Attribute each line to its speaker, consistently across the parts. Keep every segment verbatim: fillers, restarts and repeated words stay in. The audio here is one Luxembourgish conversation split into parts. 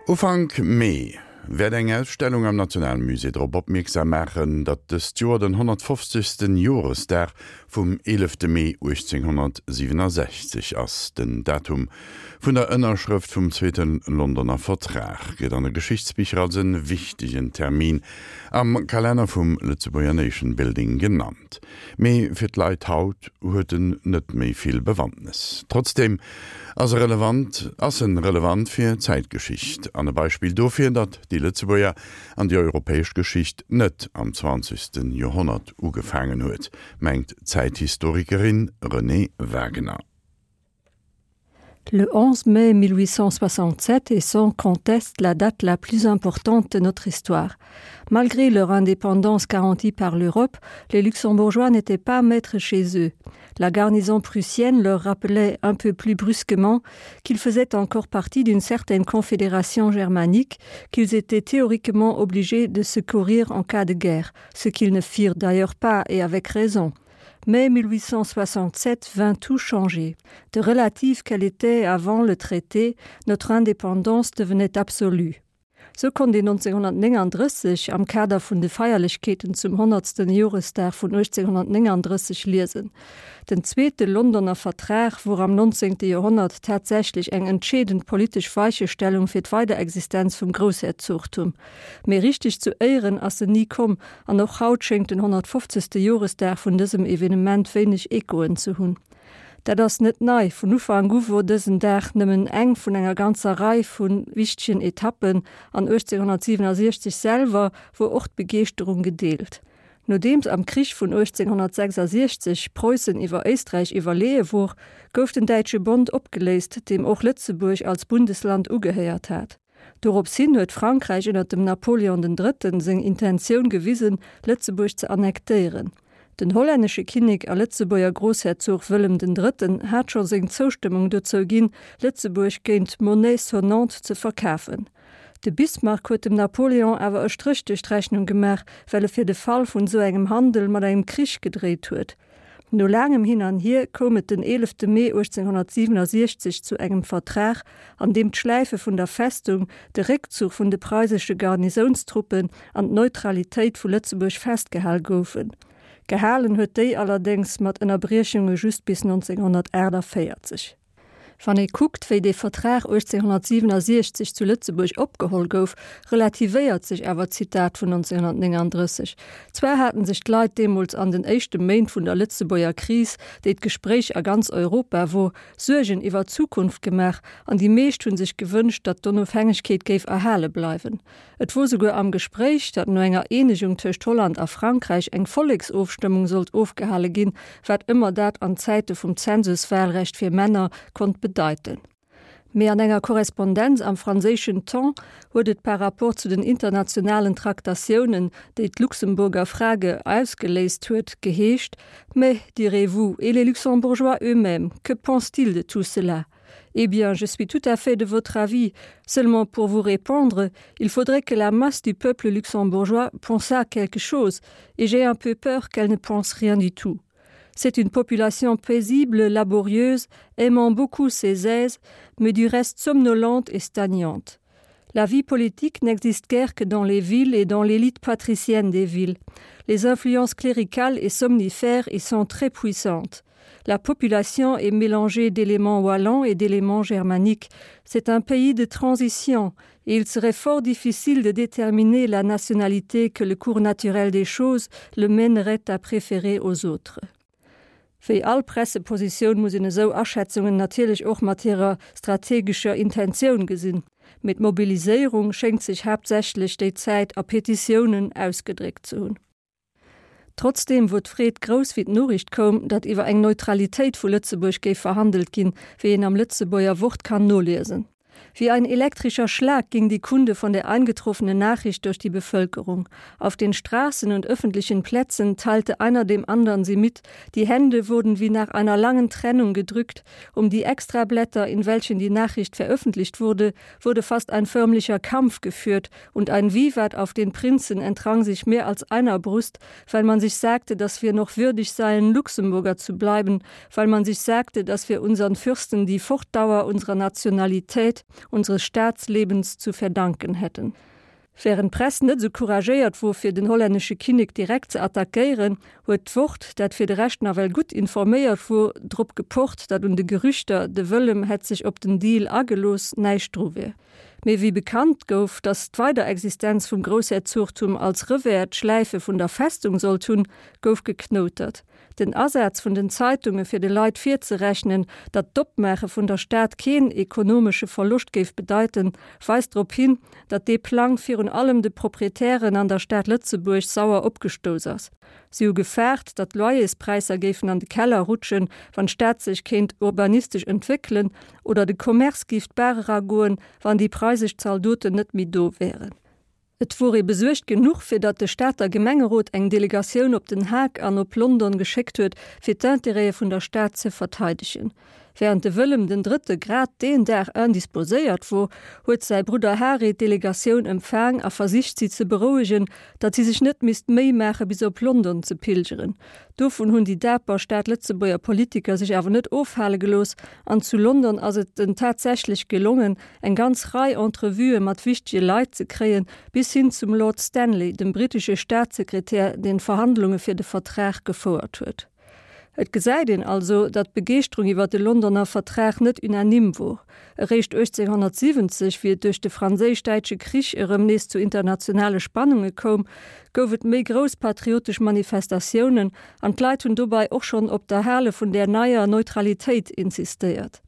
Speaker 1: Ufank Mee wäert eng Ausstellung am Nationalmusée drop opmierksam maachen, datt dëst Joer den honnertfofzegste Joresdag vum eelefte Mee uechtzénghonnertsiwwenasechzeg ass. Den Datum vun der Ënnerschrëft vum Zweete Londoner Vertrag gëtt an de Geschichtsbicher als e wichtegen Termin am Kalenner vum Lëtzebuerger Nation Building genannt. Mee fir d'Leit haut huet en net méi vill Bewandtnes. Trotzdeem ass e relevant ass en relevant fir d'Zäitgeschicht an e Beispill dofir, datt déi Lëtzebuerger an déi europäesch Geschicht net am zwanzegste Joerhonnert ugefaangen huet, mengt d'Zäithistorikerin Renée Wagener.
Speaker 2: Le onze mai mille huit cent soixante-sept est sans conteste la date la plus importante de notre histoire. Malgré leur indépendance garantie par l'Europe, les Luxembourgeois n'étaient pas maîtres chez eux. La garnison prussienne leur rappelait un peu plus brusquement qu'ils faisaient encore partie d'une certaine confédération germanique, qu'ils étaient théoriquement obligés de secourir en cas de guerre, ce qu'ils ne firent d'ailleurs pas et avec raison. Mai mille huit cent soixante-sept vint tout changer. De relative qu'elle était avant le traité, notre indépendance devenait absolue. Sou konnt een nonzénghonnertnénganddrësseg am Kader vun de Feierlechkeeten zum honnertsten Joresdag vun uechtzénghonnertnénganddrësseg liesen. Den zweete Londoner Vertrag wor am nonzéngte Joerhonnert tatsächlech eng entscheedend politesch Weichestellung fir d'Weiderexistenz vum Groussherzogtum. Mee richteg zu Éieren ass en ni komm an och haut schéngt den honnertfofzegste Joresdag vun dësem Evenement wéineg Echoen ze hunn. Dat ass net nei, vun Ufank u wor dësen Dag nëmmen eng vun enger ganzer Rei vu wichtegen Etappen an uechtzénghonnertsiwwenasiechzeg selwer wor och d'Begeeschterung gedeelt. Nodeems am Krich vun uechtzénghonnertsechsasiechzeg Preussen iwwer Éisträich iwwerleeë wor, gouf den Däitsche Bond opgeléist, deem och Lëtzebuerg als Bundesland ugehéiert hat. Dorops hin huet Frankräich ënner dem Napoleon den Drëtten seng Intentioun gewisen, Lëtzebuerg ze annektéieren. Den hollännesche Kinnek a Lëtzebuerger Groussherzog Wëllem den Drëtten hat scho seng Zoustëmmung dozou ginn, Lëtzebuerg géint Monnaie sonnante ze verkafen. De Bismarck huet dem Napoleon awer e Stréch duerch d'Rechnung gemaach, well e fir de Fall vun esou engem Handel mat engem Krich gedréit huet. No laangem Hin an Hier koum et den eelefte Mee uechtzénghonnertsiwwenasiechzeg zu engem Vertrag, an deem d'Schläife vun der Festung, de Réckzuch vun de preisesche Garnisounstruppen an d'Neutralitéit vu Lëtzebuerg festgehal goufen. Gehalen huet déi allerdéngs mat Ënnerbriechunge just bis nonzénghonnertaachtavéierzeg. Wann ee kuckt, wéi dee Vertrag uechtzénghonnertsiwwenasiechzeg zu Lëtzebuerg opgeholl gouf, relativéiert sech awer d'Zitat vun nonzénghonnertnénganddrësseg. Zwar haten sech d'Leit deemools an den éischte Méint vun der Lëtzebuerger Kris, déi d'Gespréich a ganz Europa wor, Suergen iwwer d'Zukunft gemaach an déi meescht hu sech gewënscht, datt d'Onofhängegkeet géif erhale bleiwen. Et wor souguer am Gespréich, datt no enger Eenegung tëscht Holland a Frankräich eng Volleksofstëmmung sollt ofgehale ginn, wat ëmmer dat an Zäite vum Zensuswahlrecht fir Männer konnt bedeiten. Mee an enger Korrespondenz am franséischen Temps huet et par rapport zu den internationalen Traktatiounen, déi d'Luxemburger Frage ausgeléist huet, geheescht, Mais, direz-vous, et les Luxembourgeois eux-mêmes, que pensent-ils de tout cela? Eh bien, je suis tout à fait de votre avis. Seulement pour vous répondre, il faudrait que la masse du peuple luxembourgeois pensât quelque chose, et j'ai un peu peur qu'elle ne pense rien du tout. C'est une population paisible, laborieuse, aimant beaucoup ses aises, mais du reste somnolente et stagnante. La vie politique n'existe guère que dans les villes et dans l'élite patricienne des villes. Les influences cléricales et somnifères y sont très puissantes. La population est mélangée d'éléments wallons et d'éléments germaniques. C'est un pays de transition et il serait fort difficile de déterminer la nationalité que le cours naturel des choses le mènerait à préférer aux autres. Wéi all Pressepositioun muss een esou Aschätzungen natierlech och mat hirer strategescher Intentioun gesinn, mee d'Mobiliséierung schéngt sech haaptsächlech déi Zäit a Petitiounen ausgedréckt ze hunn. Trotzdeem wor d'Freed grouss wéi d'Noriicht koum, datt iwwer eng Neutralitéit vu Lëtzebuerg géif verhandelt ginn, wéi een am Lëtzebuerger Wort kann noliesen. Wie ein elektrischer Schlag ging die Kunde von der eingetroffenen Nachricht durch die Bevölkerung. Auf den Straßen und öffentlichen Plätzen teilte einer dem anderen sie mit, die Hände wurden wie nach einer langen Trennung gedrückt, um die Extrablätter, in welchen die Nachricht veröffentlicht wurde, wurde fast ein förmlicher Kampf geführt und ein Vivat auf den Prinzen entrang sich mehr als einer Brust, weil man sich sagte, dass wir noch würdig seien, Luxemburger zu bleiben, weil man sich sagte, dass wir unseren Fürsten die Fortdauer unserer Nationalität unseres Staatslebens zu verdanken hätten. Während d'Press net sou couragéiert wor fir den hollännesche Kinnek direkt ze attackéieren, huet d'Wort, dat fir de Rescht nawell gutt informéiert wor, drop gepocht, datt un de Gerüchter, de Wëllem hätt sech op den Deal agelooss, näischt dru wier. Mee wéi bekannt gouf, datt d'Weiderexistenz vum Groussherzogtum als Revers d'Schläife vun der Festung sollt hunn, gouf geknoutert. Den Asaz vun den Zeitunge fir de Leit virzerechnen, datt d'Opmaache vun der Stad keen ekonomesche Verloscht géif bedeiten, weist drop hin, datt dee Plang virun allem de Proprietären an der Stad Lëtzebuerg sauer opgestouss ass. Si hu gefaart, datt d'Loyerspräisser géifen an de Keller rutschen, wann d'Stad sech kéint urbanistesch entwéckelen, oder de Commerce géif d'Baach eragoen, wann déi preisesch Zaldoten net méi do wären. Et wor ee besuergt genuch, fir datt de Stater Gemengerot eng Delegatioun op Den Haag an op London geschéckt huet, fir d'Intérêtë vun der Stad ze verteidegen. Während de Wëllem den Drëtte grad deen Dag indisposéiert wor, huet säi Brudder Hary d'Delegatioun empfaang a versicht si ze berouegen, datt si sech net misst d'Méi maache bis op London ze pilgeren. Dovun hunn déi daper Stad-Lëtzebuerger Politiker sech awer net ofhale gelooss an zu London ass et en tatsächlech gelongen, eng ganz Rei Entrevuë mat wichtege Leit ze kréien, bis hin zum Lord Stanley, dem brittesche Staatssekretär, deen d'Verhandlunge fir de Vertrag gefouert huet. Et gesäit een also, datt d'Begeeschterung iwwer de Londoner Vertrag net unanime wor. Eréischt uechtzénghonnertsiwwenzeg, wéi et duerch de Franséisch-Däitsche Krich erëm nees zu internationale Spannunge koum, gouf et méi grouss patriotesch Manifestatiounen an d'Leit hunn dobei och schonn op d'Erhale vun där neier Neutralitéit insistéiert.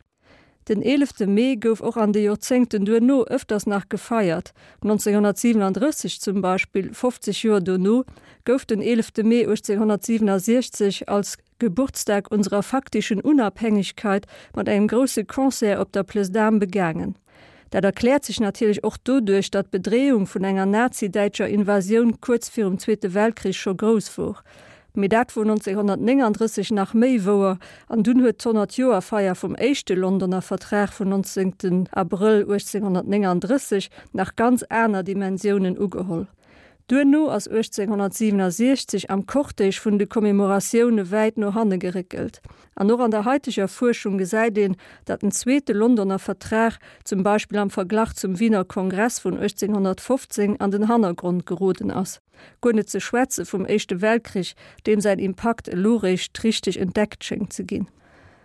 Speaker 2: Den eelefte Mee gouf och an de Joerzéngten duerno ëfters nach gefeiert. nonzénghonnertsiwenandrësseg zum Beispill, fofzeg Joer dono, gouf den eelefte Mee uechtzénghonnertsiwenasiechzeg als Geburtstag unserer faktischen Unabhängigkeit mat engem grousse Concert op der Place d'Armes begaangen. Dat erkläert sech natierlech och doduerch, datt d'Bedreeung vun enger nazi-däitscher Invasioun kuerz virum Zweete Weltkrich scho grouss wor. Mee dat wor nonzénghonnertnénganddrësseg nach méi wouer, an dunn huet d'Honnertjoerfeier vum éischte Londoner Vertrag vun nonzéngten Abrëll uechtzénghonnertnénganddrësseg nach ganz aner Dimensiounen ugeholl. Duerno ass uechtzénghonnertsiwenasiechzeg am Cortège vun de Commemoratioune wäit no hanne geréckelt. An och an der haiteger Fuerschung gesäit een, datt den zweete Londoner Vertrag zum Beispill am Verglach zum Wiener Kongress vun uechtzénghonnertfofzéng an den Hannergrond geroden ass. Guer net ze schwätze vum Éischte Weltkrich, deem säin Impakt elo réischt richteg entdeckt schéngt ze ginn.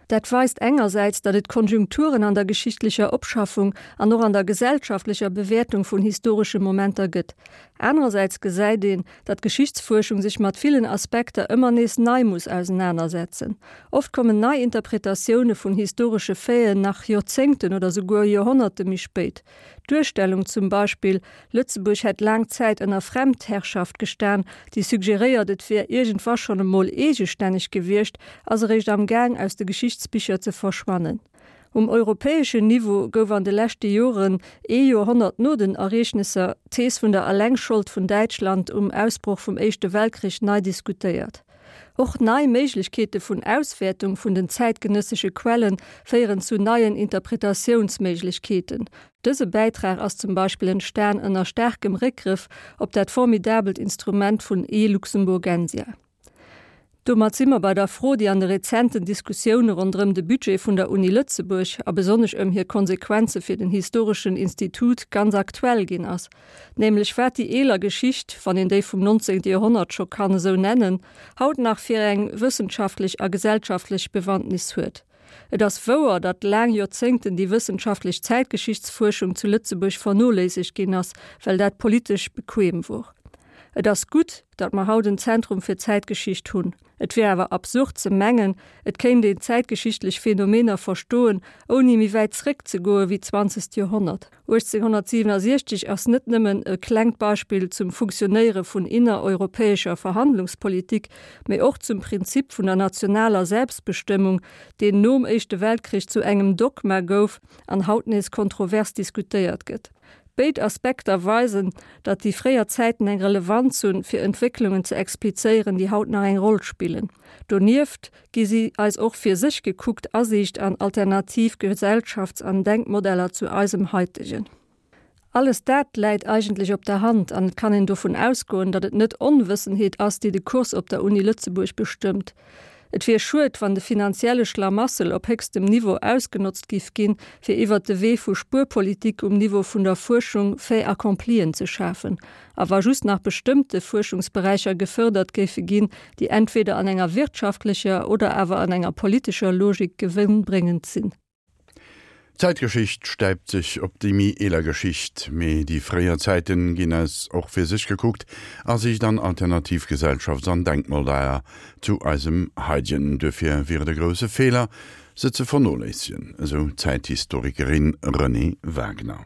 Speaker 2: Dat weist engersäits, datt et Konjunkturen an der geschichtlecher Opschaffung an och an der gesellschaftlecher Bewäertung vun historesche Momenter gëtt. Anerersäits gesäit een, datt d'Geschichtsfuerschung sech mat villen Aspekter ëmmer nees nei muss ausenanersetzen. Oft kommen nei Interpretatioune vun historesche Faiten nach Joerzéngten oder souguer Joerhonnerte méi spéit. D'Duerstellung zum Beispill, Lëtzebuerg hätt laang Zäit ënner Fremdherrschaft gestan, déi suggeréiert, et wier iergendwa schonn emol eegestänneg gewiescht, ass eréischt am Gaang aus de Geschichtsbicher ze verschwannen. Um europäeschen Niveau gouf an de leschte Joren, ee Joerhonnert no den Ereegnesser, d'Thees vun der Allengschold vun Däitschland um Ausbroch vum Éischte Weltkrich nei diskutéiert. Och nei Méiglechkeete vun Auswäertung vun den zäitgenëssesche Quelle féieren zu neien Interpretatiounsméiglechkeeten. Dëse Bäitrag ass zum Beispill entstan ënner staarkem Réckgrëff op dat formidabelt Instrument vun e-Luxemburgensia. Domat si mer bei der Fro, déi an de rezenten Diskussioune ronderëm de Budget vun der Uni Lëtzebuerg a besonnesch ëm hir Konsequenze fir den historeschen Institut ganz aktuell ginn ass, nämlech wat déi eeler Geschicht, wann een déi vum nonzéngte Joerhonnert scho kann esou nennen, haut nach fir eng wëssenschaftlech a gesellschaftlech Bewandtnis huet. Et ass wouer, datt laang Joerzéngten déi wëssenschaftlech Zäitgeschichtsfuerschung zu Lëtzebuerg vernoléissegt ginn ass, well dat politesch bequem wor. Et ass gutt, datt mer haut en Zentrum fir Zäitgeschicht hunn. Et wier awer absurd ze mengen, et kéint een zäitgeschichtlech Phänomener verstoen, ouni méi wäit zréck ze goe wéi d'zwanzegt Joerhonnert. uechtzénghonnertsiwenasiechzeg ass net nëmmen e klengt Beispill zum Funktionéiere vun innereuropäescher Verhandlungspolitik, mee och zum Prinzip vun der nationaler Selbstbestëmmung, deen nom Éischte Weltkrich zu engem Dogma gouf an haut nees kontrovers diskutéiert gëtt. Béid Aspekter weisen, datt déi fréier Zäiten eng Relevanz hunn, fir Entwécklungen ze explizéieren, déi haut nach eng Roll spillen. Donieft gi si eis och fir sech gekuckt Asiicht an alternativ Gesellschafts an Denkmodeller zu eisem haitegen. Alles dat läit eigentlech op der Hand an et kann een dovun ausgoen, datt et net Onwëssenheet ass, déi de Kurs op der Uni Lëtzebuerg bestëmmt. Et wier schued, wann de finanzielle Schlamassel op héchstem Niveau ausgenotzt giff ginn, fir iwwert de Wee vu Spuerpolitik um Niveau vun der Fuerschung Fait-accomplien ze schafen, a wa just nach bestëmmte Fuerschungsberäicher gefërdert géife ginn, déi entweder an enger wirtschaftlecher oder awer an enger politescher Logik gewënnbréngend sinn.
Speaker 1: D'Zäitgeschicht stäipt sech op déi méi eeler Geschicht, mee déi fréier Zäiten ginn eis och fir sech gekuckt a sich dann alternativ Gesellschafts an Denkmodeller zu eisem haidegen. Duerfir wier et e grousse Feeler, se ze vernoléissegen, esou d'Zäithistorikerin Renée Wagner.